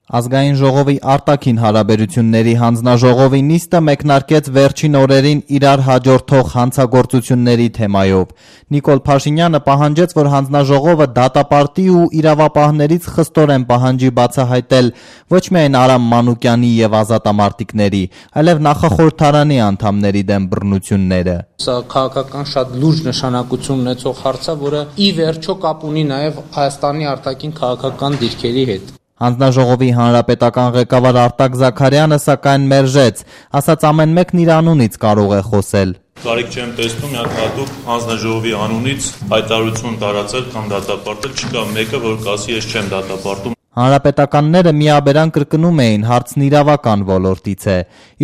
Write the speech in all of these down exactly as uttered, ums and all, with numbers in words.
Ազգային ժողովի արտաքին հարաբերությունների հանձնաժողովի նիստը մեկնարկեց վերջին օրերին իրար հաջորդող հանցագործությունների թեմայով։ Նիկոլ Փաշինյանը պահանջեց, որ հանձնաժողովը դատապարտի ու իրավապահներից խստորեն պահանջի բացահայտել ոչ միայն Արամ Մանուկյանի եւ ազատամարտիկների, այլև նախախորհրդարանի անդամների դեմ բռնությունները։ Սա քաղաքական շատ լուրջ նշանակություն ունեցող հարց է, որը ի վերջո կապ ունի նաեւ Հայաստանի արտաքին քաղաքական դիրքերի հետ։ Հանձնաժողովի հանրապետական ղեկավար Արտակ Զաքարյանը սակայն մերժեց, ասաց ամեն մեկն իր անունից կարող է խոսել։ Կարիք չեմ տեսնում միակ հատուկ հանձնաժողովի անունից հայտարարություն տարածել կամ դատապարտել, չկա մեկը, որ կասի ես չեմ դատապարտում։ Հանրապետականները միաբերան կրկնում էին հարցն իրավական ոլորտից է։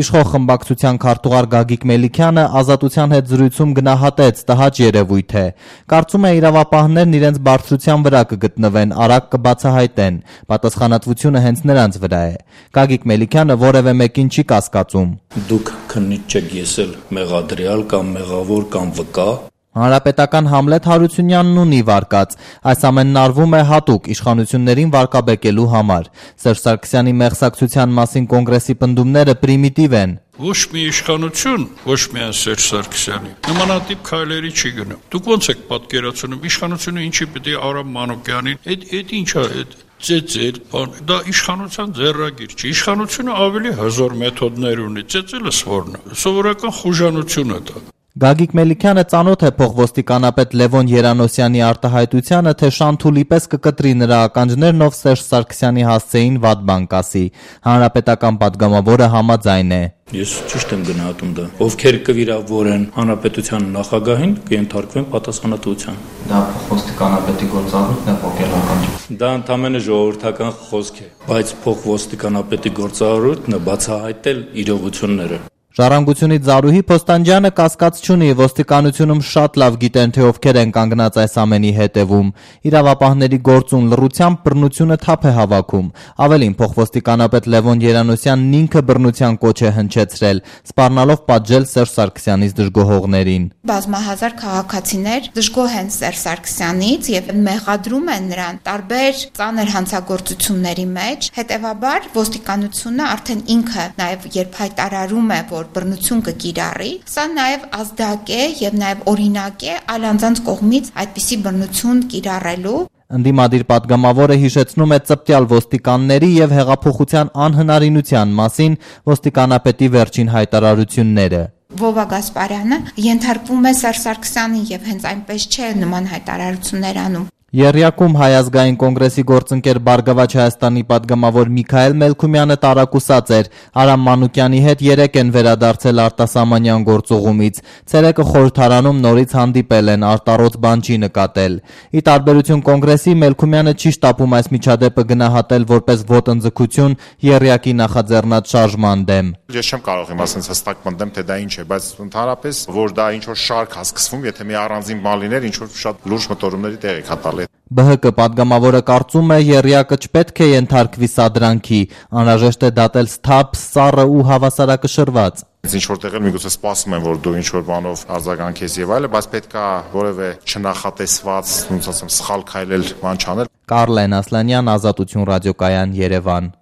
Իշխող խմբակցության քարտուղար Գագիկ Մելիքյանը Ազատության հետ զրույցում գնահատեց տհաճ երևույթ է։ Կարծում է իրավապահներն իրենց բարձրության վրա կգտնվեն, արագ կբացահայտեն։ Պատասխանատվությունը հենց նրանց վրա է։ Գագիկ Մելիքյանը որևէ մեկին չի կասկածում։ Դուք քննիչ չեք եսել մեղադրյալ կամ մեղավոր կամ վկա։ Հանրապետական Համլետ Հարությունյանն ունի վարկած, այս ամենն արվում է հատուկ իշխանություններին վարկաբեկելու համար։ Սերժ Սարգսյանի մեղսակցության մասին կոնգրեսի պնդումները պրիմիտիվ են։ Ոչ մի իշխանություն, ոչ միայն Սերժ Սարգսյանի, նմանատիպ քայլերի չի գնում։ Դուք ո՞նց եք պատկերացնում, իշխանությունը ինչի պետք է Արամ Մանուկյանին, այդ այդ ինչ է, այդ ծեծել, բան, դա իշխանության ձեռագիր չի։ Իշխանությունը ավելի հզոր մեթոդներ ունի, ծեծելը սովորն է, սովորական խուժանություն է դա։ Գագիկ Մելիքյանը ծանոթ է փոխոստիկանապետ Լևոն Երանոսյանի արտահայտությանը, թե Շանթուլի պես կկտրի նրա ականջներն, ով Սերժ Սարգսյանի հասցեին վատ բան կասի։ Հանրապետական падգամավորը համաձայն է։ Ես ճիշտ եմ գնահատում դա։ Ովքեր կվիրավորեն հանրապետության նախագահին, կենթարկվեն պատասխանատվության։ Դա փոխոստիկանապետի գործառույթն է, ոգելական։ Դա ընդամենը ժողովրդական խոսք է, բայց փոխոստիկանապետի գործառույթն է բացահայտել իրողությունները։ Ժառանգությունից Զարուհի Փոստանջյանը կասկած չունի, ոստիկանությունում շատ լավ գիտեն, թե ովքեր են կանգնած այս ամենի հետևում։ Իրավապահների գործուն լռությամբ բռնությունը թափ է հավաքում։ Ավելին, փոխոստիկանապետ Լևոն Երանոսյանն ինքը բռնության կոչ է հնչեցրել, սպառնալով պատժել Սերժ Սարգսյանից դժգոհողներին։ Բազմահազար քաղաքացիներ դժգոհ են Սերժ Սարգսյանից եւ մեղադրում են նրան տարբեր ծանր հանցագործությունների մեջ։ Հետևաբար ոստիկանությունը արդեն ինքը նաեւ երբ հայտարարում է, որ բռնություն կկիրառի, սա նաև ազդակ է եւ նաև օրինակ է այլ անձանց կողմից այդպիսի բռնություն կիրառելու։ Ընդդիմադիր падգամավորը հիշեցնում է ծպտյալ ոստիկանների եւ հեղափոխության անհնարինության մասին ոստիկանապետի վերջին հայտարարությունները։ Վովա Գասպարյանը ենթարկվում է Սերժ Սարգսյանին եւ հենց այնպես չէ նման հայտարարություններ անում։ Եռյակում Հայ ազգային կոնգրեսի գործընկեր Բարգավաճ Հայաստանի падգամավոր Միքայել Մելքումյանը տարակուսած էր։ Արամ Մանուկյանի հետ երեք են վերադարձել արտասահմանյան գործուղումից։ Ցերեկը խորհրդարանում նորից հանդիպել են, արտառոց բան չի նկատել։ Ի տարբերություն կոնգրեսի, Մելքումյանը չի շտապում այս միջադեպը գնահատել որպես ոտնձգություն եռյակի նախաձեռնած շարժման դեմ։ Ես չեմ կարող իմ ասենց հստակ պնդեմ, թե դա ինչ է, բայց ընդհանրապես որ դա ինչ որ շարք է սկսվում, եթե մի առանձին բան լիներ, ինչ որ շատ լուրջ մտորումների տեղ է կատարել։ Բ Հ Կ падգամավորը կարծում է, եռյակը չպետք է ենթարկվի սադրանքի, անհրաժեշտ է դատել սթափ, սառը ու հավասարակշռված։ Ինչ որտեղ էլ միգուցե սպասում են, որ դու ինչ որ բանով արձագանքես եւ այլը, բայց պետք է որևէ չնախատեսված, ոնց ասեմ, սխալ քայլել, բան չանել։ Կարլեն Ասլանյան, Ազատություն ռադիոկայան, Երևան։